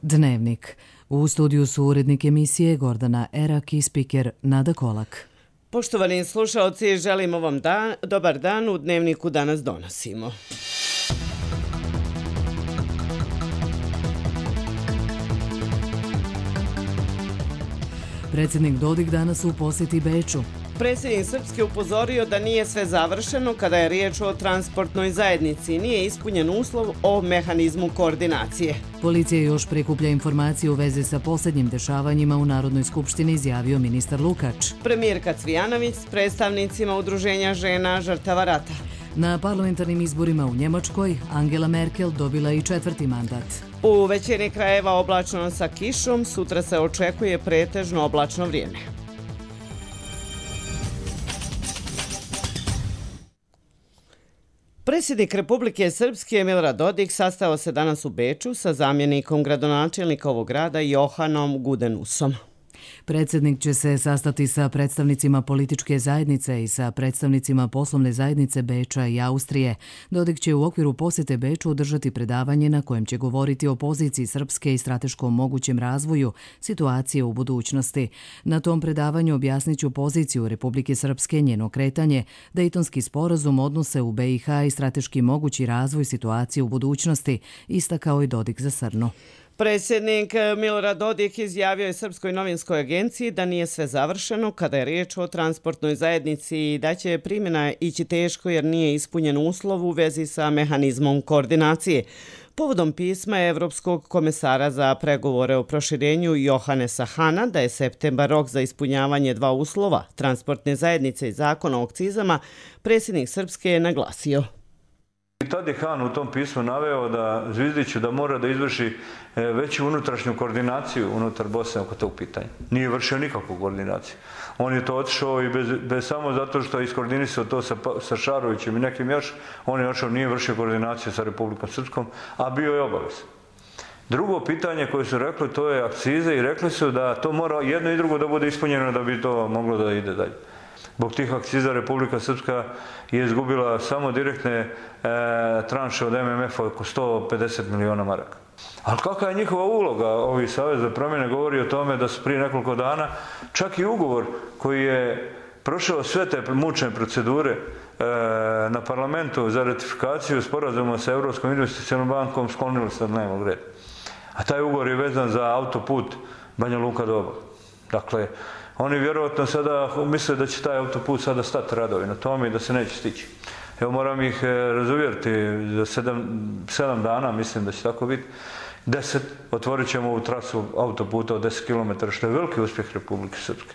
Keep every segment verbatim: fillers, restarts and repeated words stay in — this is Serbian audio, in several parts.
Dnevnik. U studiju su urednik emisije Gordana Erak i spiker Nada Kolak. Poštovani slušaoci, želimo vam dan, dobar dan. U Dnevniku danas donosimo. Predsjednik Dodik danas u posjeti Beču. Predsjednik Srpske upozorio da nije sve završeno kada je riječ o transportnoj zajednici. Nije ispunjen uslov o mehanizmu koordinacije. Policija još prikuplja informacije u vezi sa posljednjim dešavanjima u Narodnoj skupštini, izjavio ministar Lukač. Premijerka Cvijanović s predstavnicima Udruženja žena žrtava rata. Na parlamentarnim izborima u Njemačkoj Angela Merkel dobila i četvrti mandat. U većini krajeva oblačno sa kišom, sutra se očekuje pretežno oblačno vrijeme. Predsjednik Republike Srpske Milorad Dodik sastao se danas u Beču sa zamjenikom gradonačelnika ovog grada Johanom Gudenusom. Predsjednik će se sastati sa predstavnicima političke zajednice i sa predstavnicima poslovne zajednice Beča i Austrije. Dodik će u okviru posjete Beču održati predavanje na kojem će govoriti o poziciji Srpske i strateškom mogućem razvoju situacije u budućnosti. Na tom predavanju objasnit ću poziciju Republike Srpske, njeno kretanje, Dejtonski sporazum, odnose u be i ha i strateški mogući razvoj situacije u budućnosti, istakao i Dodik za Srnu. Predsjednik Milorad Dodik izjavio je Srpskoj novinskoj agenciji da nije sve završeno kada je riječ o transportnoj zajednici i da će primjena ići teško jer nije ispunjen uslov u vezi sa mehanizmom koordinacije. Povodom pisma Evropskog komesara za pregovore o proširenju Johannesa Hana da je septembar rok za ispunjavanje dva uslova, transportne zajednice i zakona o akcizama, predsjednik Srpske je naglasio. Tad je Han u tom pismu naveo da Zvizdiću da mora da izvrši veću unutrašnju koordinaciju unutar Bosne oko tog pitanja. Nije vršio nikakvu koordinaciju. On je to otišao i bez, bez samo zato što je iskoordinisao to sa, sa Šarovićem i nekim još, on je otišao, nije vršio koordinaciju sa Republikom Srpskom, a bio je obavez. Drugo pitanje koje su rekli, to je akcize i rekli su da to mora jedno i drugo da bude ispunjeno da bi to moglo da ide dalje. Zbog tih akciza Republika Srpska je izgubila samo direktne e, tranše od em em efa oko sto pedeset miliona maraka. Ali kakva je njihova uloga? Ovi Savez za promjene govori o tome da su prije nekoliko dana čak i ugovor koji je prošao sve te mučne procedure e, na parlamentu za ratifikaciju sporazuma sa Evropskom investicionom bankom sklonili sa dnevnog reda. A taj ugovor je vezan za autoput Banja Luka-Doboj. Dakle, oni vjerovatno sada misle da će taj autoput sada stati radovi na tome i da se neće stići. Evo moram ih razuvjeriti za sedam, sedam dana, mislim da će tako biti. Deset, otvorit ćemo ovu trasu autoputa od deset kilometara, što je veliki uspjeh Republike Srpske.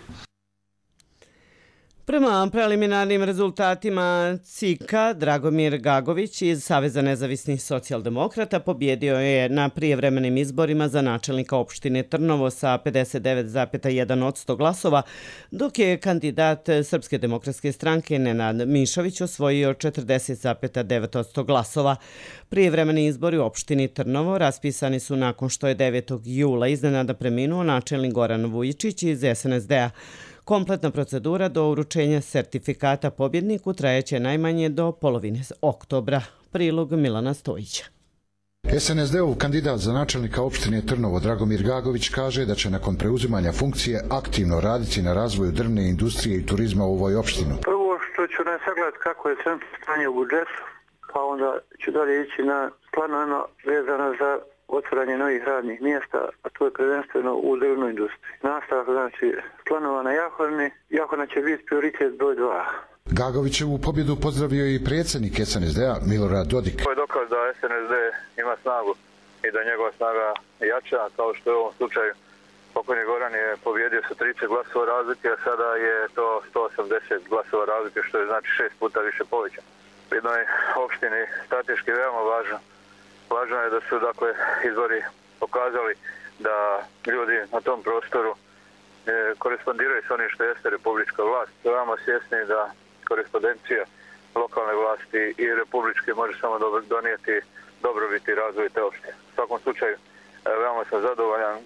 Prema preliminarnim rezultatima C I K-a, Dragomir Gagović iz Saveza nezavisnih socijaldemokrata pobjedio je na prijevremenim izborima za načelnika opštine Trnovo sa pedeset devet zarez jedan posto glasova, dok je kandidat Srpske demokratske stranke Nenad Mišović osvojio četrdeset zarez devet posto glasova. Prijevremeni izbori u opštini Trnovo raspisani su nakon što je devetog jula iznenada preminuo načelnik Goran Vujičić iz es en es de-a. Kompletna procedura do uručenja sertifikata pobjedniku trajeće najmanje do polovine oktobra. Prilog Milana Stojića. es en es de-ov kandidat za načelnika opštine Trnovo Dragomir Gagović kaže da će nakon preuzimanja funkcije aktivno raditi na razvoju drvne industrije i turizma u ovoj opštini. Prvo što ću ne sagledati kako je centrum stanje u budžetu, pa onda ću dalje ići na planovima vezano za otvaranje novih radnih mjesta, a to je prvenstveno u drvnoj industriji. Nastavak, znači, planova na Jahorni. Jahorna će biti prioritet broj dva. Gagovićevu pobjedu pozdravio i predsjednik es en es de-a Milorad Dodik. To je dokaz da es en es de ima snagu i da njegova snaga jača, kao što je u ovom slučaju. Pokojni Goran je pobjedio sa trideset glasova razlike, a sada je to sto osamdeset glasova razlike, što je znači šest puta više povećano. U jednoj opštini strateški veoma važno. Važno je da su dakle izbori pokazali da ljudi na tom prostoru e, korespondiraju s onim što jeste republička vlast. Veoma svjesni da korespondencija lokalne vlasti i republičke može samo donijeti dobrobiti i razvoj te opštine. U svakom slučaju veoma sam zadovoljan e,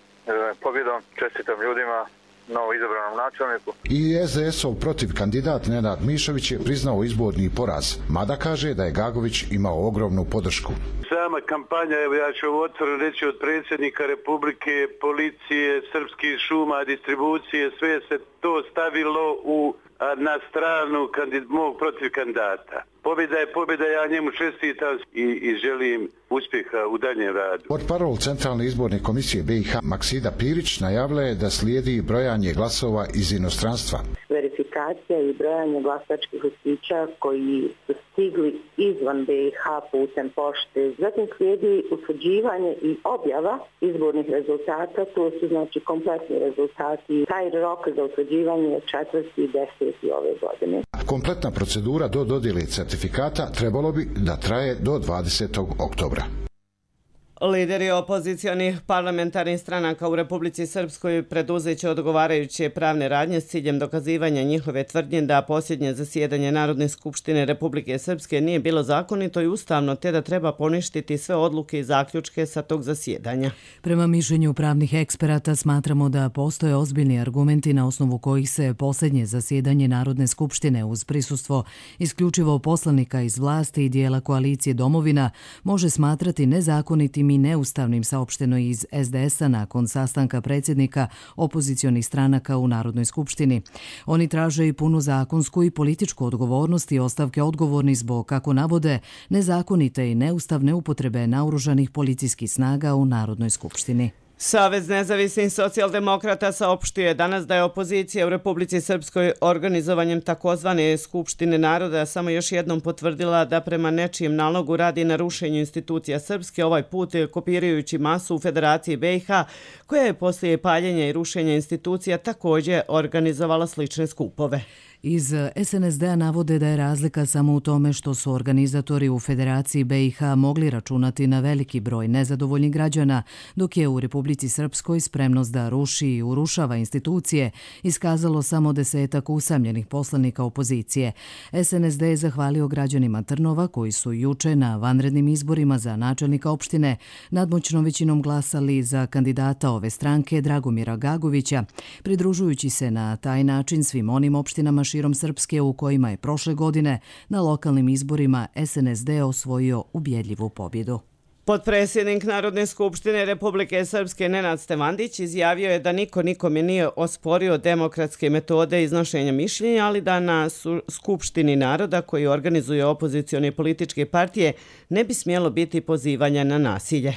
pobjedom, čestitam ljudima, novo izabranom načelniku. I es de es-ov protiv kandidat Nenad Mišović je priznao izborni poraz, mada kaže da je Gagović imao ogromnu podršku. Za sama kampanja, evo ja ću otvoreno reći, od predsjednika Republike, policije, srpskih šuma, distribucije, sve se to stavilo u, a, na stranu kandid, mog protiv kandidata. Pobjeda je pobjeda, ja njemu čestitam i, i želim uspjeha u daljem radu. Portparol Centralne izborne komisije B i H Maksida Pirić najavila je da slijedi brojanje glasova iz inostranstva. Verifikacija i brojanje glasačkih listića koji su stigli izvan B i H putem pošte. Zatim slijedi utvrđivanje i objava izbornih rezultata, to su znači kompletni rezultati. Taj rok za utvrđivanje je četvrti i deseti ove godine. Kompletna procedura do dodjele certifikata trebalo bi da traje do dvadesetog oktobra. Lideri opozicionih parlamentarnih stranaka u Republici Srpskoj preduzeće odgovarajuće pravne radnje s ciljem dokazivanja njihove tvrdnje da posljednje zasjedanje Narodne skupštine Republike Srpske nije bilo zakonito i ustavno, te da treba poništiti sve odluke i zaključke sa tog zasjedanja. Prema mišljenju pravnih eksperata smatramo da postoje ozbiljni argumenti na osnovu kojih se posljednje zasjedanje Narodne skupštine uz prisustvo isključivo poslanika iz vlasti i dijela koalicije Domovina može smatrati nezakonitim i neustavnim, saopšteno iz S D S-a nakon sastanka predsjednika opozicionih stranaka u Narodnoj skupštini. Oni traže i punu zakonsku i političku odgovornost i ostavke odgovorni zbog, kako navode, nezakonite i neustavne upotrebe naoružanih policijskih snaga u Narodnoj skupštini. Savez nezavisnih socijaldemokrata saopštio je danas da je opozicija u Republici Srpskoj organizovanjem takozvane Skupštine naroda samo još jednom potvrdila da prema nečijem nalogu radi na rušenju institucija Srpske, ovaj put kopirajući masu u Federaciji B i H, koja je poslije paljenja i rušenja institucija također organizovala slične skupove. Iz S N S D-a navode da je razlika samo u tome što su organizatori u Federaciji B i H mogli računati na veliki broj nezadovoljnih građana, dok je u Republici Srpskoj spremnost da ruši i urušava institucije iskazalo samo desetak usamljenih poslanika opozicije. S N S D je zahvalio građanima Trnova koji su juče na vanrednim izborima za načelnika opštine nadmoćnom većinom glasali za kandidata ove stranke Dragomira Gagovića, pridružujući se na taj način svim onim opštinama širom Srpske u kojima je prošle godine na lokalnim izborima S N S D osvojio ubjedljivu pobjedu. Potpredsjednik Narodne skupštine Republike Srpske Nenad Stevandić izjavio je da niko nikome nije osporio demokratske metode iznošenja mišljenja, ali da na Skupštini naroda koji organizuje opozicione političke partije ne bi smjelo biti pozivanja na nasilje.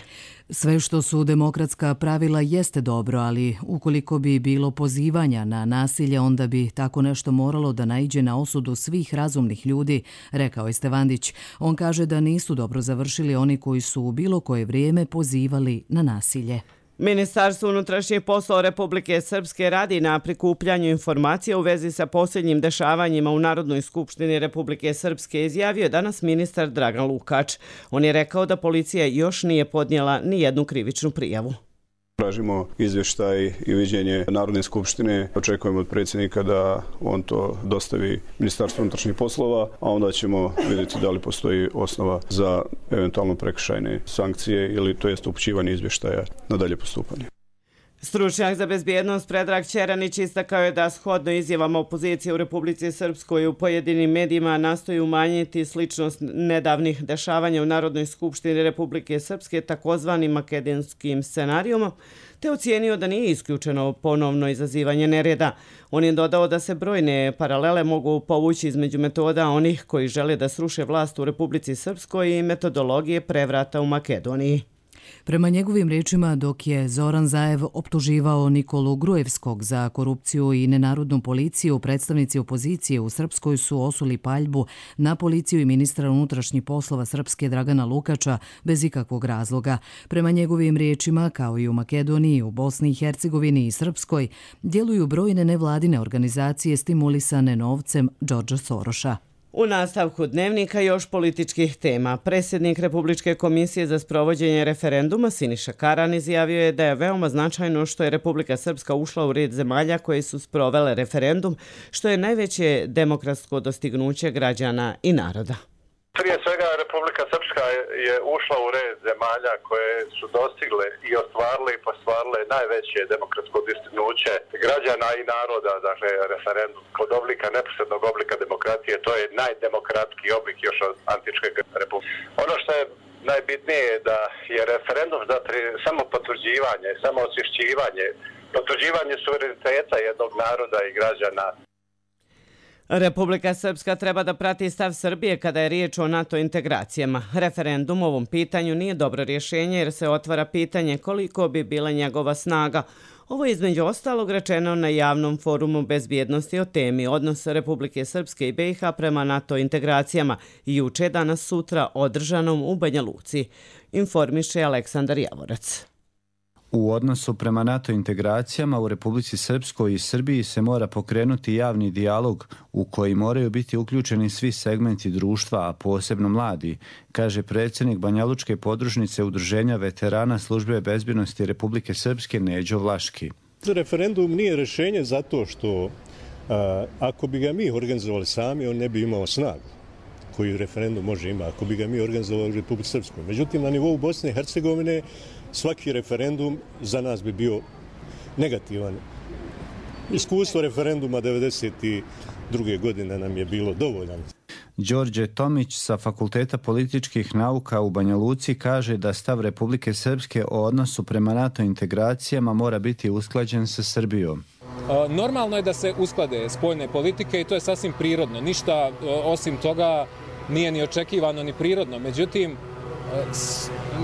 Sve što su demokratska pravila jeste dobro, ali ukoliko bi bilo pozivanja na nasilje, onda bi tako nešto moralo da naiđe na osudu svih razumnih ljudi, rekao je Stevandić. On kaže da nisu dobro završili oni koji su u bilo koje vrijeme pozivali na nasilje. Ministarstvo unutrašnjih poslova Republike Srpske radi na prikupljanju informacija u vezi sa posljednjim dešavanjima u Narodnoj skupštini Republike Srpske, izjavio je danas ministar Dragan Lukač. On je rekao da policija još nije podnijela ni jednu krivičnu prijavu. Tražimo izvještaj i viđenje Narodne skupštine. Očekujemo od predsjednika da on to dostavi Ministarstvu unutrašnjih poslova, a onda ćemo vidjeti da li postoji osnova za eventualno prekršajne sankcije ili to jest upućivanje izvještaja na dalje postupanje. Stručnjak za bezbjednost Predrag Ćeranić istakao je da shodno izjavama opozicije u Republici Srpskoj u pojedinim medijima nastoji umanjiti sličnost nedavnih dešavanja u Narodnoj skupštini Republike Srpske takozvanim makedonskim scenarijom, te ocijenio da nije isključeno ponovno izazivanje nereda. On je dodao da se brojne paralele mogu povući između metoda onih koji žele da sruše vlast u Republici Srpskoj i metodologije prevrata u Makedoniji. Prema njegovim rečima, dok je Zoran Zaev optuživao Nikolu Grujevskog za korupciju i nenarodnu policiju, predstavnici opozicije u Srpskoj su osuli paljbu na policiju i ministra unutrašnjih poslova Srpske Dragana Lukača bez ikakvog razloga. Prema njegovim rečima, kao i u Makedoniji, u Bosni i Hercegovini i Srpskoj, djeluju brojne nevladine organizacije stimulisane novcem Đorđa Soroša. U nastavku dnevnika još političkih tema. Predsjednik Republičke komisije za sprovođenje referenduma Siniša Karan izjavio je da je veoma značajno što je Republika Srpska ušla u red zemalja koje su sprovele referendum, što je najveće demokratsko dostignuće građana i naroda. Prije svega Republika Srpska je ušla u red zemalja koje su dostigle i ostvarile i postvarile najveće demokratsko dostignuće građana i naroda, dakle referendum. Kod oblika, neposrednog oblika demokratije, to je najdemokratskiji oblik još od antičke republike. Ono što je najbitnije je da je referendum samo potvrđivanje, samo osvješćivanje, potvrđivanje suvereniteta jednog naroda i građana. Republika Srpska treba da prati stav Srbije kada je riječ o NATO integracijama. Referendum u ovom pitanju nije dobro rješenje jer se otvara pitanje koliko bi bila njegova snaga. Ovo je između ostalog rečeno na javnom forumu bezbjednosti o temi odnosa Republike Srpske i B i H prema NATO integracijama juče, danas, sutra održanom u Banja Luci, informiše Aleksandar Javorac. U odnosu prema NATO integracijama u Republici Srpskoj i Srbiji se mora pokrenuti javni dijalog u koji moraju biti uključeni svi segmenti društva, a posebno mladi, kaže predsjednik Banjalučke podružnice Udruženja veterana Službe bezbjednosti Republike Srpske Neđo Vlaški. Referendum nije rješenje zato što a, ako bi ga mi organizovali sami, on ne bi imao snagu koju referendum može imati, ako bi ga mi organizovali u Republici Srpskoj. Međutim, na nivou Bosne i Hercegovine svaki referendum za nas bi bio negativan. Iskustvo referenduma devedeset druge godine nam je bilo dovoljan. Đorđe Tomić sa Fakulteta političkih nauka u Banja Luci kaže da stav Republike Srpske o odnosu prema NATO integracijama mora biti usklađen sa Srbijom. Normalno je da se usklade spoljne politike i to je sasvim prirodno. Ništa osim toga nije ni očekivano ni prirodno. Međutim,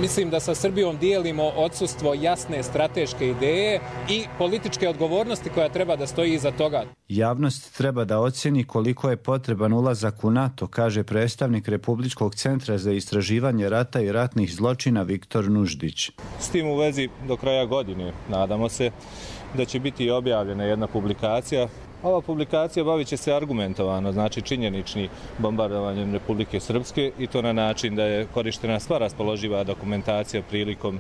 mislim da sa Srbijom dijelimo odsustvo jasne strateške ideje i političke odgovornosti koja treba da stoji iza toga. Javnost treba da ocjeni koliko je potreban ulazak u NATO, kaže predstavnik Republičkog centra za istraživanje rata i ratnih zločina Viktor Nuždić. S tim u vezi do kraja godine nadamo se da će biti objavljena jedna publikacija. Ova publikacija bavit će se argumentovano, znači činjenični bombardovanjem Republike Srpske i to na način da je korištena sva raspoloživa dokumentacija prilikom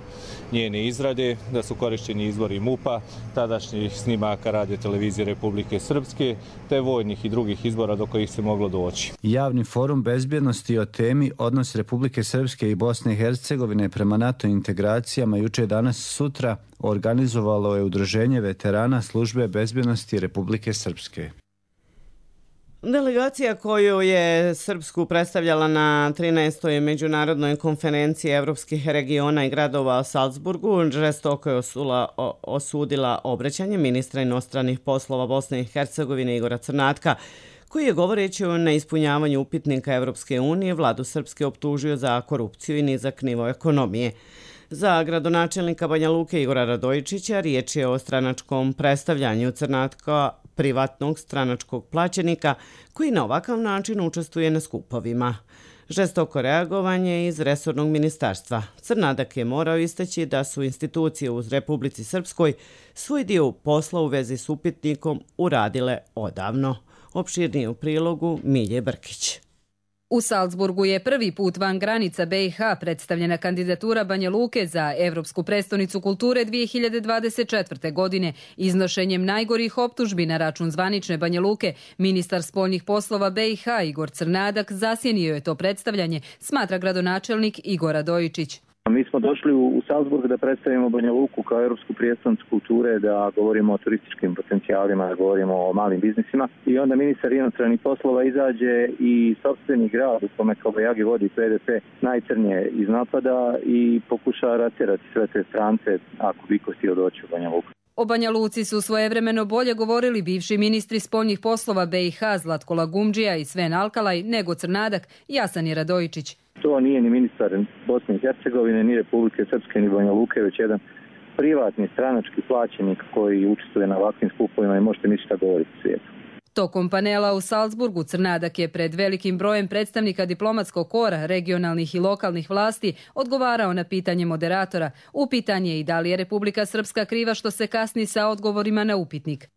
njene izrade, da su korišteni izvori M U P-a, tadašnjih snimaka radio televizije Republike Srpske, te vojnih i drugih izbora do kojih se moglo doći. Javni forum bezbjednosti o temi odnos Republike Srpske i Bosne i Hercegovine prema NATO integracijama juče, danas, sutra organizovalo je Udruženje veterana Službe bezbjednosti Republike Srpske. Delegacija koju je Srpsku predstavljala na trinaestoj međunarodnoj konferenciji evropskih regiona i gradova u Salzburgu žestoko je osula, o, osudila obraćanje ministra inostranih poslova Bosne i Hercegovine Igora Crnatka, koji je govoreći o neispunjavanju upitnika Evropske unije vladu Srpske optužio za korupciju i nizak nivo ekonomije. Za gradonačelnika Banja Luke Igora Radojičića riječ je o stranačkom predstavljanju Crnatka, privatnog stranačkog plaćenika koji na ovakav način učestvuje na skupovima. Žestoko reagovanje iz resornog ministarstva. Crnadak je morao istaći da su institucije u Republici Srpskoj svoj dio posla u vezi s upitnikom uradile odavno. Opširnije u prilogu Milje Brkić. U Salzburgu je prvi put van granica B i H predstavljena kandidatura Banja Luke za Evropsku prestonicu kulture dvije hiljade dvadeset četvrte. godine. Iznošenjem najgorih optužbi na račun zvanične Banja Luke, ministar spoljnih poslova B i H Igor Crnadak zasjenio je to predstavljanje, smatra gradonačelnik Igor Radojičić. Mi smo došli u Salzburg da predstavimo Banja Luku kao Europsku prijestolnicu kulture, da govorimo o turističkim potencijalima, da govorimo o malim biznisima. I onda ministar inostranih poslova izađe i sopstveni grad u kome Kobajagi vodi P D P najcrnije iz napada i pokuša ratjerati sve te strance ako bi ko htio doći u Banja Luku. O Banja Luci su svojevremeno bolje govorili bivši ministri spoljnih poslova B i H Zlatko Lagumdžija i Sven Alkalaj nego Crnadak i Jasani Radojičić. To nije ni ministar Bosne i Hercegovine, ni Republike Srpske, ni Banja Luke, već jedan privatni stranački plaćenik koji učestvuje na ovakvim skupovima i možete ništa govoriti u svijetu. Tokom panela u Salzburgu Crnadak je pred velikim brojem predstavnika diplomatskog kora, regionalnih i lokalnih vlasti odgovarao na pitanje moderatora. Upitan je i da li je Republika Srpska kriva što se kasni sa odgovorima na upitnik.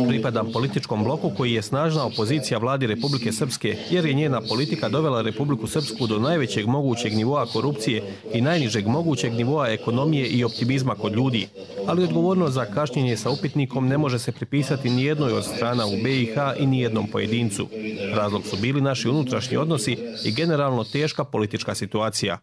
Pripadam političkom bloku koji je snažna opozicija vladi Republike Srpske, jer je njena politika dovela Republiku Srpsku do najvećeg mogućeg nivoa korupcije i najnižeg mogućeg nivoa ekonomije i optimizma kod ljudi. Ali odgovornost za kašnjenje sa upitnikom ne može se pripisati ni jednoj od strana u B i H i ni jednom pojedincu. Razlog su bili naši unutrašnji odnosi i generalno teška politička situacija.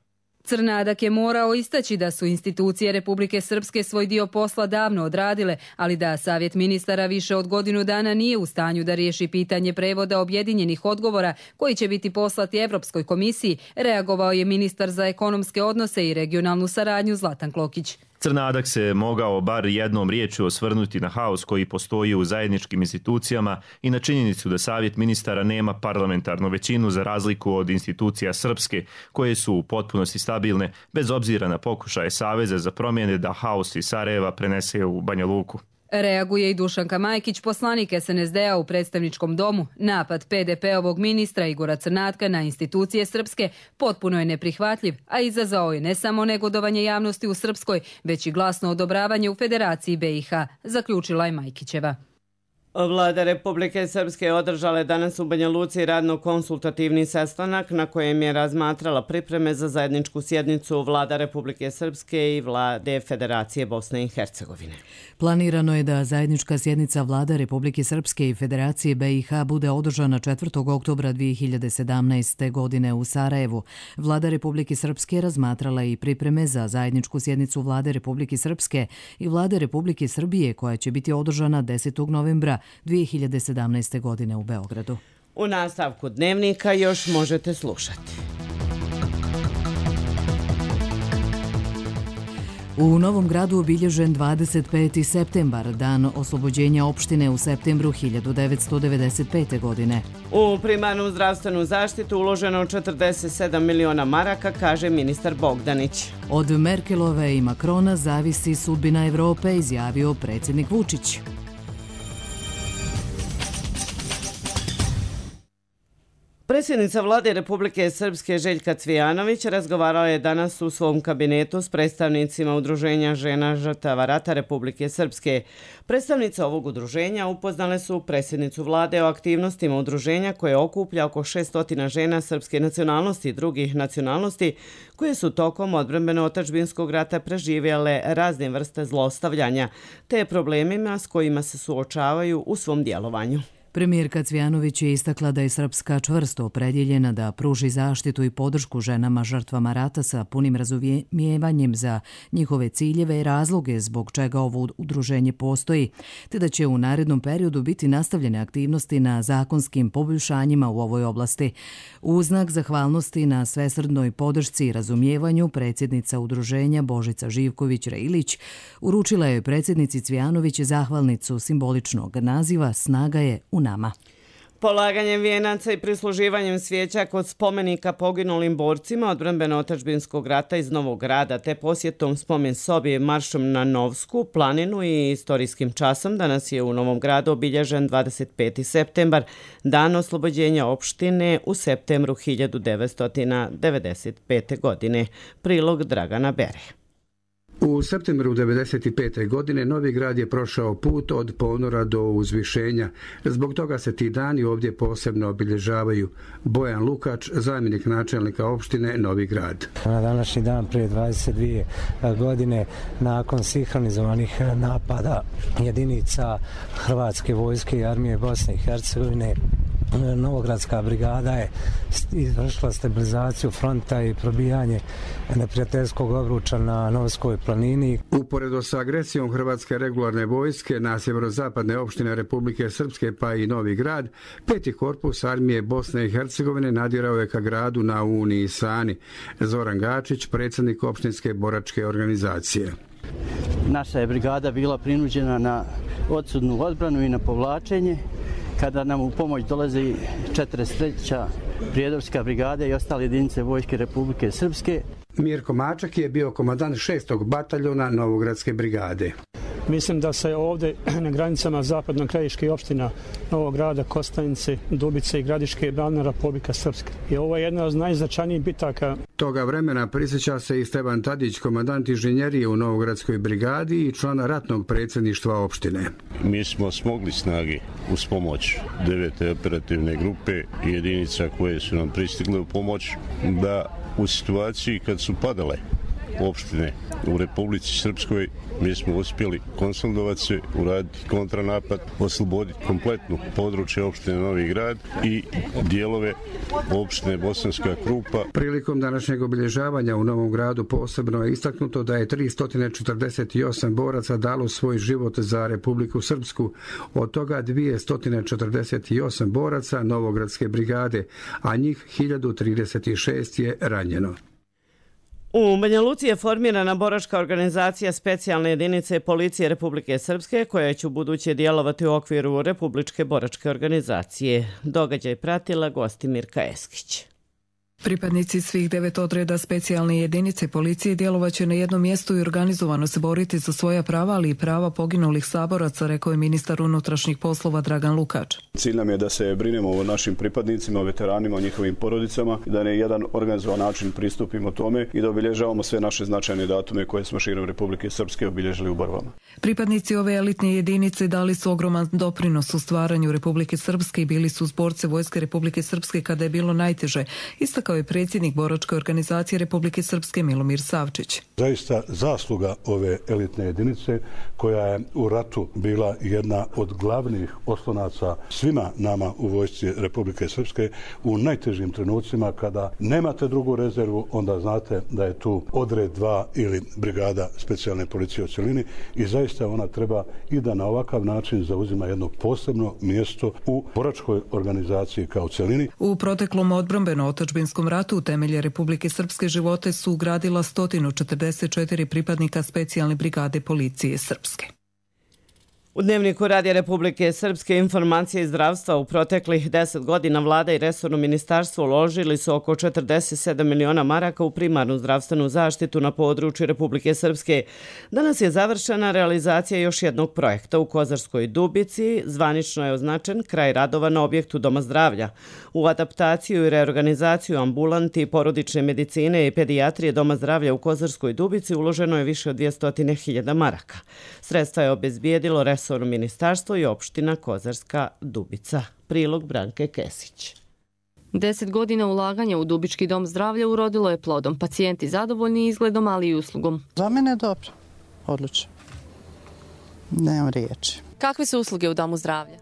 Crnadak je morao istaći da su institucije Republike Srpske svoj dio posla davno odradile, ali da Savjet ministara više od godinu dana nije u stanju da riješi pitanje prevoda objedinjenih odgovora koji će biti poslati Evropskoj komisiji, reagovao je ministar za ekonomske odnose i regionalnu saradnju Zlatan Klokić. Crnadak se mogao bar jednom riječju osvrnuti na haos koji postoji u zajedničkim institucijama i na činjenicu da Savjet ministara nema parlamentarnu većinu za razliku od institucija srpske koje su u potpunosti stabilne bez obzira na pokušaje Saveza za promjene da haos iz Sarajeva prenese u Banja Luku. Reaguje i Dušanka Majkić, poslanik es en es de a u predstavničkom domu. Napad pe de pe-ovog ministra Igora Crnatka na institucije srpske potpuno je neprihvatljiv, a izazvao je ne samo negodovanje javnosti u Srpskoj, već i glasno odobravanje u Federaciji be i ha, zaključila je Majkićeva. Vlada Republike Srpske održala je danas u Banja Luci radno-konsultativni sastanak na kojem je razmatrala pripreme za zajedničku sjednicu Vlada Republike Srpske i Vlade Federacije Bosne i Hercegovine. Planirano je da zajednička sjednica Vlada Republike Srpske i Federacije be i ha bude održana četvrtog oktobra dvije hiljade sedamnaeste. godine u Sarajevu. Vlada Republike Srpske razmatrala i pripreme za zajedničku sjednicu Vlade Republike Srpske i Vlade Republike Srbije koja će biti održana desetog novembra dvije hiljade sedamnaeste. godine u Beogradu. U nastavku dnevnika još možete slušati. U Novom Gradu obilježen dvadeset peti septembar, dan oslobođenja opštine u septembru hiljadu devetsto devedeset pete. godine. U primarnu zdravstvenu zaštitu uloženo četrdeset sedam miliona maraka, kaže ministar Bogdanić. Od Merkelove i Makrona zavisi sudbina Evrope, izjavio predsjednik Vučić. Predsjednica Vlade Republike Srpske Željka Cvijanović razgovarala je danas u svom kabinetu s predstavnicima Udruženja žena žrtava rata Republike Srpske. Predstavnice ovog udruženja upoznale su predsjednicu Vlade o aktivnostima udruženja koje okuplja oko šesnaest žena srpske nacionalnosti i drugih nacionalnosti koje su tokom odbrambeno-otadžbinskog rata preživjele razne vrste zlostavljanja te problemima s kojima se suočavaju u svom djelovanju. Premijerka Cvijanović je istakla da je Srpska čvrsto opredjeljena da pruži zaštitu i podršku ženama žrtvama rata sa punim razumijevanjem za njihove ciljeve i razloge zbog čega ovo udruženje postoji, te da će u narednom periodu biti nastavljene aktivnosti na zakonskim poboljšanjima u ovoj oblasti. U znak zahvalnosti na svesrdnoj podršci i razumijevanju, predsjednica udruženja Božica Živković-Reilić uručila je predsjednici Cvijanović zahvalnicu simboličnog naziva Snaga je u nama. Polaganjem vijenaca i prisluživanjem svijeća kod spomenika poginulim borcima odbrambeno-otadžbinskog rata iz Novog Grada te posjetom spomen sobi maršom na Novsku planinu i istorijskim časom danas je u Novom Gradu obilježen dvadeset peti septembar, dan oslobođenja opštine u septembru hiljadu devetsto devedeset pete. godine. Prilog Dragana Bere. U septembru devedeset pete. godine Novi Grad je prošao put od ponora do uzvišenja. Zbog toga se ti dani ovdje posebno obilježavaju. Bojan Lukač, zamjenik načelnika opštine Novi Grad. Na današnji dan prije dvadeset dvije godine nakon sinhronizovanih napada jedinica Hrvatske vojske i armije Bosne i Hercegovine, Novogradska brigada je izvršila stabilizaciju fronta i probijanje neprijateljskog obruča na Novskoj planini. Uporedo sa agresijom Hrvatske regularne vojske na sjeverozapadne opštine Republike Srpske pa i Novi Grad, peti korpus armije Bosne i Hercegovine nadirao je ka gradu na Uni i Sani. Zoran Gačić, predsjednik opštinske boračke organizacije. Naša je brigada bila prinuđena na odsudnu odbranu i na povlačenje, kada nam u pomoć dolazi četrdeset treća Prijedorska brigada i ostale jedinice Vojske Republike Srpske. Mirko Mačak je bio komandant šestog bataljona Novogradske brigade. Mislim da se ovdje na granicama zapadno-krajiške opština Novog Grada, Kostajnice, Dubice i Gradiške branila Republika Srpska. I ovo je jedna od najznačajnijih bitaka. Toga vremena prisjeća se i Stevan Tadić, komandant inženjerije u Novogradskoj brigadi i član ratnog predsjedništva opštine. Mi smo smogli snage uz pomoć devete operativne grupe i jedinica koje su nam pristigle u pomoć da u situaciji kad su padale opštine u Republici Srpskoj. Mi smo uspjeli konsolidovati se, uraditi kontranapad, osloboditi kompletnu područje opštine Novi Grad i dijelove opštine Bosanska Krupa. Prilikom današnjeg obilježavanja u Novom Gradu posebno je istaknuto da je tristo četrdeset osam boraca dalo svoj život za Republiku Srpsku, od toga dvjesto četrdeset osam boraca Novogradske brigade, a njih hiljadu trideset šest je ranjeno. U Banja Luci je formirana boračka organizacija specijalne jedinice Policije Republike Srpske koja će u buduće djelovati u okviru Republičke boračke organizacije. Događaj pratila Gostimirka Eskić. Pripadnici svih devet odreda specijalne jedinice policije djelovaće na jednom mjestu i organizovano se boriti za svoja prava, ali i prava poginulih saboraca, rekao je ministar unutrašnjih poslova Dragan Lukač. Cilj nam je da se brinemo o našim pripadnicima, o veteranima, o njihovim porodicama, da na jedan organizovan način pristupimo tome i da obilježavamo sve naše značajne datume koje smo širom Republike Srpske obilježili u borbama. Pripadnici ove elitne jedinice dali su ogroman doprinos u stvaranju Republike Srpske i bili su uz borce Vojske Republike Srpske kada je bilo najteže, istakao je predsjednik boračke organizacije Republike Srpske Milomir Savčić. Zaista zasluga ove elitne jedinice koja je u ratu bila jedna od glavnih oslonaca svima nama u Vojsci Republike Srpske u najtežim trenucima kada nemate drugu rezervu, onda znate da je tu odred dva ili brigada specijalne policije u cjelini i zaista ona treba i da na ovakav način zauzima jedno posebno mjesto u boračkoj organizaciji kao cjelini. U proteklom odbrambeno-otadžbinskom ratu u temelje Republike Srpske živote su ugradila sto četrdeset četiri pripadnika specijalne brigade policije Srpske. U Dnevniku Radija Republike Srpske informacije iz zdravstva u proteklih deset godina vlada i resorno ministarstvo uložili su oko četrdeset sedam miliona maraka u primarnu zdravstvenu zaštitu na području Republike Srpske. Danas je završena realizacija još jednog projekta u Kozarskoj Dubici. Zvanično je označen kraj radova na objektu Doma zdravlja. U adaptaciju i reorganizaciju ambulanti, porodične medicine i pedijatrije Doma zdravlja u Kozarskoj Dubici uloženo je više od dvjesto hiljada maraka. Sredstva je obezbijedilo resorno ministarstvo i opština Kozarska Dubica. Prilog Branke Kesić. Deset godina ulaganja u Dubički dom zdravlja urodilo je plodom. Pacijenti zadovoljni izgledom, ali i uslugom. Za mene je dobro. Odlično. Nemam riječi. Kakve su usluge u domu zdravlja?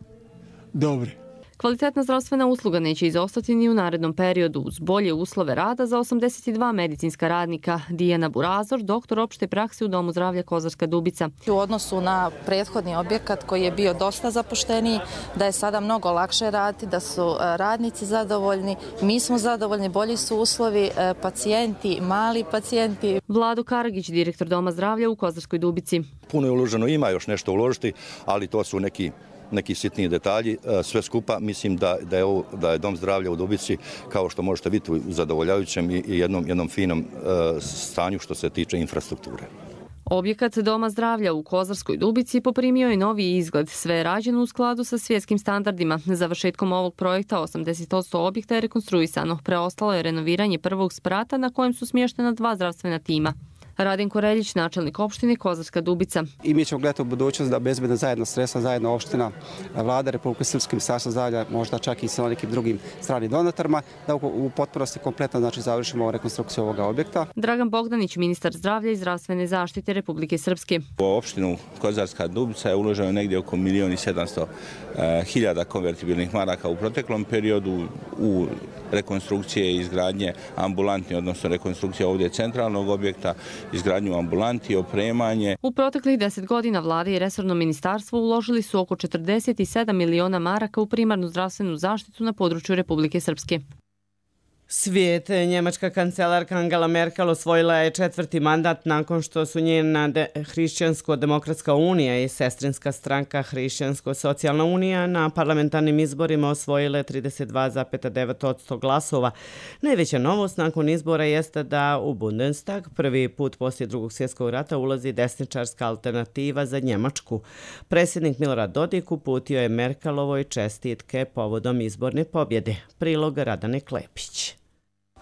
Dobri. Kvalitetna zdravstvena usluga neće izostati ni u narednom periodu. Uz bolje uslove rada za osamdeset dva medicinska radnika. Dijana Burazor, doktor opšte prakse u Domu zdravlja Kozarska Dubica. U odnosu na prethodni objekat koji je bio dosta zapušteniji, da je sada mnogo lakše raditi, da su radnici zadovoljni, mi smo zadovoljni, bolji su uslovi, pacijenti, mali pacijenti. Vlado Karagić, direktor Doma zdravlja u Kozarskoj Dubici. Puno je uloženo, ima još nešto uložiti, ali to su neki neki sitniji detalji. Sve skupa mislim da, da, je, ovo, da je Dom zdravlja u Dubici, kao što možete vidjeti, u zadovoljavajućem i jednom, jednom finom uh, stanju što se tiče infrastrukture. Objekat Doma zdravlja u Kozarskoj Dubici poprimio je novi izgled. Sve je rađeno u skladu sa svjetskim standardima. Završetkom ovog projekta osamdeset posto objekta je rekonstruisano. Preostalo je renoviranje prvog sprata na kojem su smještena dva zdravstvena tima. Radenko Reljić, načelnik opštine Kozarska Dubica. I mi ćemo gledati u budućnost da bezbedno zajedno sredstva, zajedno opština, vlada Republike Srpske, ministarstvo zdravlja, možda čak i sa nekim drugim stranim donatorima, da u potpunosti kompletno znači, završimo rekonstrukciju ovoga objekta. Dragan Bogdanić, ministar zdravlja i zdravstvene zaštite Republike Srpske. U opštinu Kozarska Dubica je uloženo negdje oko milijon i sedamsto hiljada konvertibilnih maraka u proteklom periodu u rekonstrukcije i izgradnje ambulanti, odnosno rekonstrukcija ovdje centralnog objekta, izgradnju ambulanti, opremanje. U proteklih deset godina vlada i resorno ministarstvo uložili su oko četrdeset sedam miliona maraka u primarnu zdravstvenu zaštitu na području Republike Srpske. Svijet. Njemačka kancelarka Angela Merkel osvojila je četvrti mandat nakon što su njena Hrišćansko-demokratska unija i sestrinska stranka Hrišćansko-socijalna unija na parlamentarnim izborima osvojile trideset dva zarez devet posto glasova. Najveća novost nakon izbora jeste da u Bundestag prvi put poslije drugog svjetskog rata ulazi desničarska alternativa za Njemačku. Predsjednik Milorad Dodik uputio je Merkelovoj čestitke povodom izborne pobjede. Prilog Radane Klepić.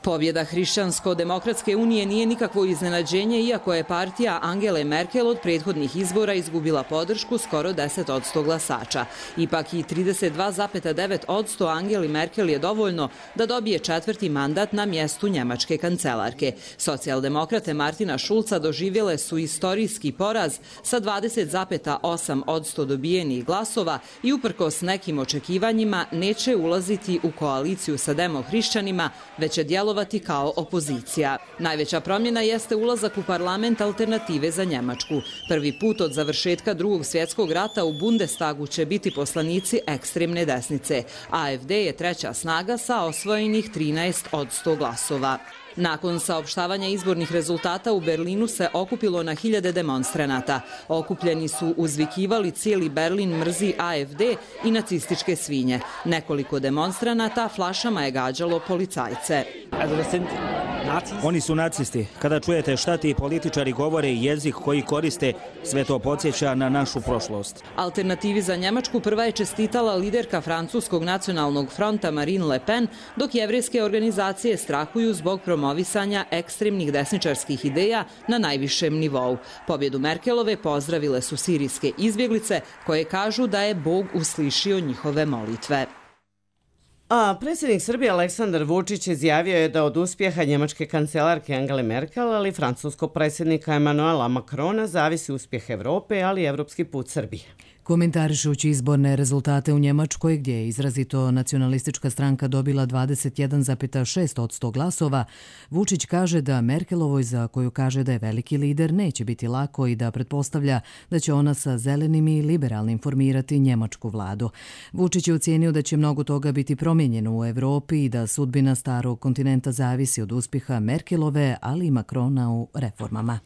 Pobjeda Hrišćansko-demokratske unije nije nikakvo iznenađenje, iako je partija Angele Merkel od prethodnih izbora izgubila podršku skoro deset posto glasača. Ipak i trideset dva zarez devet posto Angeli Merkel je dovoljno da dobije četvrti mandat na mjestu njemačke kancelarke. Socijaldemokrate Martina Šulca doživjele su istorijski poraz sa dvadeset zarez osam posto dobijenih glasova i uprkos nekim očekivanjima neće ulaziti u koaliciju sa demohrišćanima, već je djelovati kao opozicija. Najveća promjena jeste ulazak u parlament Alternative za Njemačku. Prvi put od završetka drugog svjetskog rata u Bundestagu će biti poslanici ekstremne desnice. A F D je treća snaga sa osvojenih trinaest posto glasova. Nakon saopštavanja izbornih rezultata u Berlinu se okupilo na hiljade demonstranata. Okupljeni su uzvikivali cijeli Berlin mrzi A F D i nacističke svinje. Nekoliko demonstranata flašama je gađalo policajce. Oni su nacisti. Kada čujete šta ti političari govore i jezik koji koriste, sve to podsjeća na našu prošlost. Alternativi za Njemačku prva je čestitala liderka Francuskog nacionalnog fronta Marine Le Pen, dok jevrejske organizacije strahuju zbog promovisanja ekstremnih desničarskih ideja na najvišem nivou. Pobjedu Merkelove pozdravile su sirijske izbjeglice koje kažu da je Bog uslišio njihove molitve. A predsjednik Srbije Aleksandar Vučić izjavio je da od uspjeha njemačke kancelarke Angele Merkel, ali francuskog predsjednika Emmanuela Macrona zavisi uspjeh Evrope, ali i evropski put Srbije. Komentarišući izborne rezultate u Njemačkoj, gdje je izrazito nacionalistička stranka dobila dvadeset jedan zarez šest posto glasova, Vučić kaže da Merkelovoj, za koju kaže da je veliki lider, neće biti lako i da pretpostavlja da će ona sa zelenim i liberalnim formirati njemačku vladu. Vučić je ocijenio da će mnogo toga biti promijenjeno u Evropi i da sudbina starog kontinenta zavisi od uspjeha Merkelove, ali i Macrona u reformama.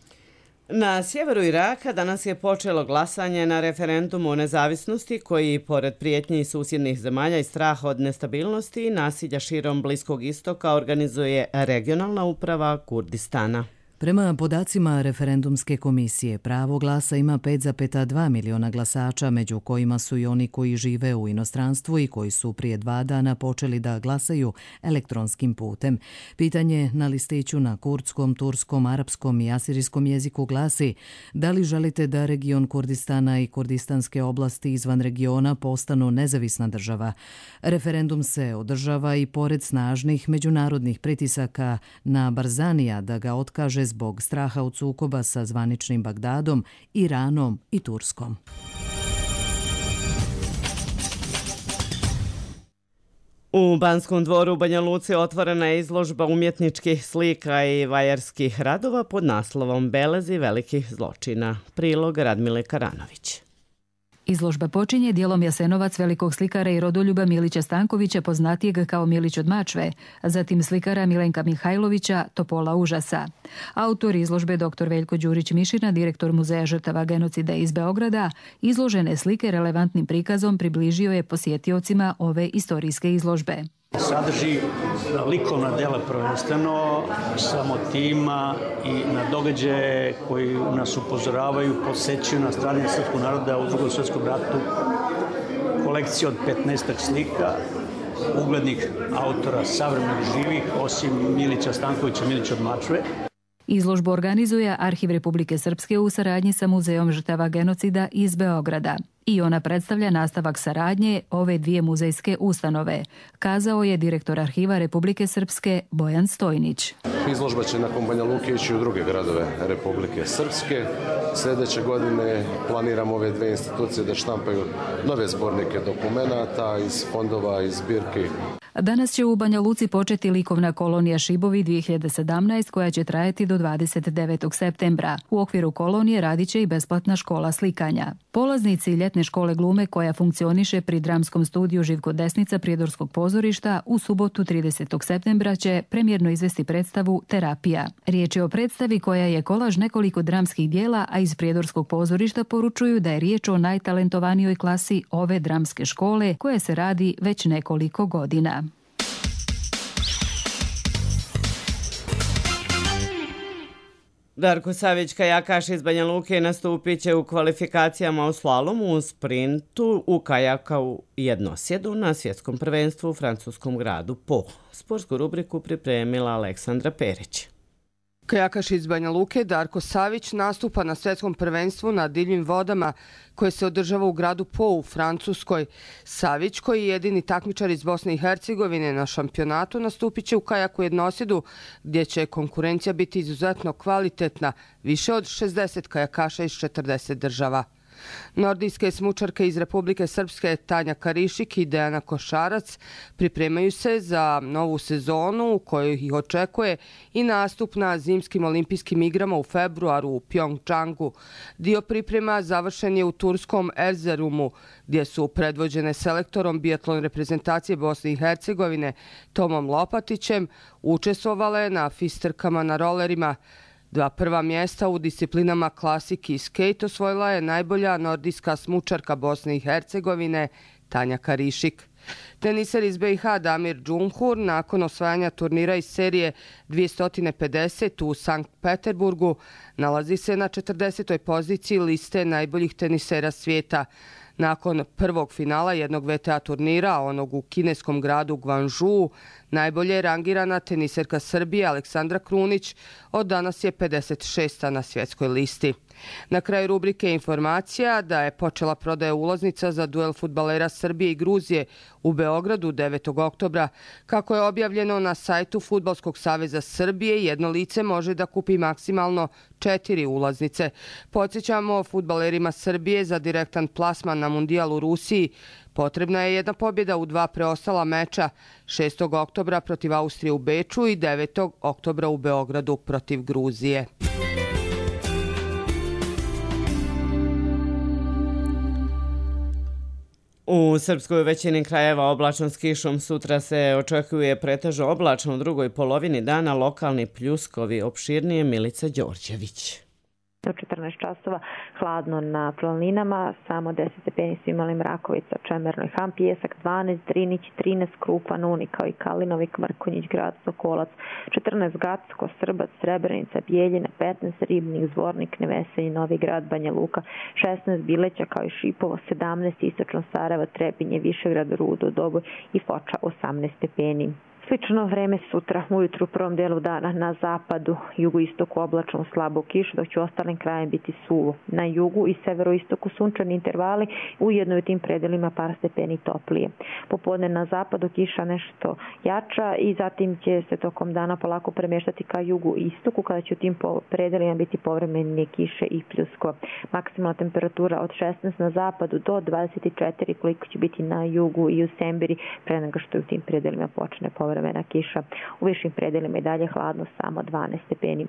Na sjeveru Iraka danas je počelo glasanje na referendumu o nezavisnosti koji, pored prijetnji susjednih zemalja i straha od nestabilnosti i nasilja širom Bliskog istoka, organizuje regionalna uprava Kurdistana. Prema podacima referendumske komisije, pravo glasa ima pet zarez dva miliona glasača, među kojima su i oni koji žive u inostranstvu i koji su prije dva dana počeli da glasaju elektronskim putem. Pitanje na listiću na kurdskom, turskom, arapskom i asirijskom jeziku glasi: da li želite da region Kurdistana i kurdistanske oblasti izvan regiona postanu nezavisna država? Referendum se održava i pored snažnih međunarodnih pritisaka na Barzanija da ga otkaže zbog straha od sukoba sa zvaničnim Bagdadom, Iranom i Turskom. U Banskom dvoru u Banja Luci otvorena je izložba umjetničkih slika i vajarskih radova pod naslovom Belezi velikih zločina. Prilog Radmile Karanović. Izložba počinje dijelom Jasenovac velikog slikara i rodoljuba Milića Stankovića, poznatijeg kao Milić od Mačve, a zatim slikara Milenka Mihajlovića, Topola užasa. Autor izložbe dr. Veljko Đurić-Mišina, direktor Muzeja žrtava genocida iz Beograda, izložene slike relevantnim prikazom približio je posjetiocima ove istorijske izložbe. Sadrži likovna dela prvenstveno sa motivima i na događaje koji nas upozoravaju, podsjećaju na stradanje srpskog naroda u Drugom svjetskom ratu. Kolekcija od petnaestak slika uglednih autora savremenih živih, osim Milića Stankovića, Milića od Mačve. Izložbu organizuje Arhiv Republike Srpske u saradnji sa Muzejom žrtava genocida iz Beograda. I ona predstavlja nastavak saradnje ove dvije muzejske ustanove, kazao je direktor Arhiva Republike Srpske Bojan Stojnić. Izložba će nakon Banja Luke ići u druge gradove Republike Srpske. Sljedeće godine planiramo ove dve institucije da štampaju nove zbornike dokumenata iz fondova i zbirki. Danas će u Banja Luci početi likovna kolonija Šibovi dvije hiljade sedamnaeste koja će trajati do dvadeset devetog septembra. U okviru kolonije radit će i besplatna škola slikanja. Polaznici ljetne škole glume koja funkcioniše pri dramskom studiju Živko Desnica Prijedorskog pozorišta u subotu tridesetog septembra će premijerno izvesti predstavu Terapija. Riječ je o predstavi koja je kolaž nekoliko dramskih dijela, a iz Prijedorskog pozorišta poručuju da je riječ o najtalentovanijoj klasi ove dramske škole koja se radi već nekoliko godina. Darko Savić, kajakaš iz Banja Luke, nastupit će u kvalifikacijama u slalomu u sprintu u kajaku jednosjedu na svjetskom prvenstvu u francuskom gradu Po. Sportsku rubriku pripremila Aleksandra Perić. Kajakaš iz Banja Luke Darko Savić nastupa na svjetskom prvenstvu na divljim vodama koje se održava u gradu Po u Francuskoj. Savić, koji je jedini takmičar iz Bosne i Hercegovine na šampionatu, nastupit će u kajaku jednosjedu gdje će konkurencija biti izuzetno kvalitetna, više od šezdeset kajakaša iz četrdeset država. Nordijske smučarke iz Republike Srpske Tanja Karišik i Dejana Košarac pripremaju se za novu sezonu u kojoj ih očekuje i nastup na zimskim olimpijskim igrama u februaru u Pjongčangu. Dio priprema završen je u turskom Erzurumu, gdje su predvođene selektorom biatlon reprezentacije Bosne i Hercegovine Tomom Lopatićem učestvovale na fisterkama na rolerima. Dva prva mjesta u disciplinama klasik i skate osvojila je najbolja nordijska smučarka Bosne i Hercegovine Tanja Karišik. Teniser iz B i H Damir Džumhur nakon osvajanja turnira iz serije dvjesto pedeset u Sankt Peterburgu nalazi se na četrdesetoj poziciji liste najboljih tenisera svijeta. Nakon prvog finala jednog V T A turnira, onog u kineskom gradu Guangzhou, najbolje je rangirana teniserka Srbije Aleksandra Krunić, od danas je pedeset šesta na svjetskoj listi. Na kraju rubrike informacija da je počela prodaja ulaznica za duel fudbalera Srbije i Gruzije u Beogradu devetog oktobra. Kako je objavljeno na sajtu Fudbalskog saveza Srbije, jedno lice može da kupi maksimalno četiri ulaznice. Podsjećamo, fudbalerima Srbije za direktan plasman na mundijal u Rusiji potrebna je jedna pobjeda u dva preostala meča, šestog oktobra protiv Austrije u Beču i devetog oktobra u Beogradu protiv Gruzije. U Srpskoj većini krajeva oblačno s kišom, sutra se očekuje pretežno oblačno u drugoj polovini dana, lokalni pljuskovi. Opširnije Milica Đorđević. Do četrnaest časova hladno na planinama, samo deset stepeni su imali Mrakovica, Čemerno i Ham, Pijesak dvanaest, Drinić trinaest, Krupan, Uni kao i Kalinovik, Mrkonjić, Grad Sokolac, četrnaest Gacko, Srbac, Srebrenica, Bijeljina, petnaest Ribnik, Zvornik, Neveselj, Novi Grad, Banja Luka, šesnaest Bileća kao i Šipovo, sedamnaest Istočno Sarajevo, Trebinje, Višegrad, Rudo, Doboj i Foča osamnaest stepeni. Slično vreme sutra ujutru u prvom delu dana na zapadu, jugoistoku oblačno slabo kiš, dok će u ostalim krajima biti suvo. Na jugu i severoistoku sunčani intervali, ujedno u tim predelima par stepeni toplije. Popodne na zapadu kiša nešto jača i zatim će se tokom dana polako premeštati ka jugu i istoku, kada će u tim predelima biti povremene kiše i pljusko. Maksimalna temperatura od šesnaest na zapadu do dvadeset četiri koliko će biti na jugu i u Sembiri, pre nego što u tim predelima počne povremena vremena kiša. U višim predelima i dalje hladno, samo dvanaest stepeni.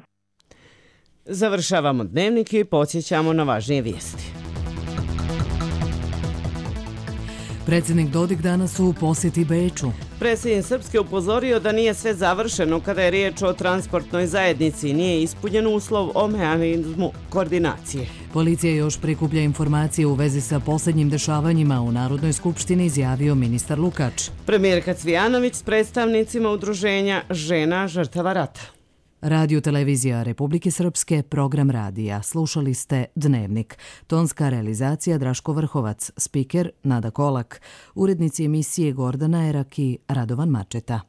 Završavamo dnevnik i podsjećamo na važnije vijesti. Predsjednik Dodik danas u posjeti Beču. Predsjednik Srpske upozorio da nije sve završeno kada je riječ o transportnoj zajednici i nije ispunjen uslov o mehanizmu koordinacije. Policija još prikuplja informacije u vezi sa posljednjim dešavanjima u Narodnoj skupštini, izjavio ministar Lukač. Premijerka Cvijanović s predstavnicima udruženja žena žrtava rata. Radio televizija Republike Srpske, program radija. Slušali ste Dnevnik. Tonska realizacija Draško Vrhovac, spiker Nada Kolak, urednici emisije Gordana Erak i Radovan Mačeta.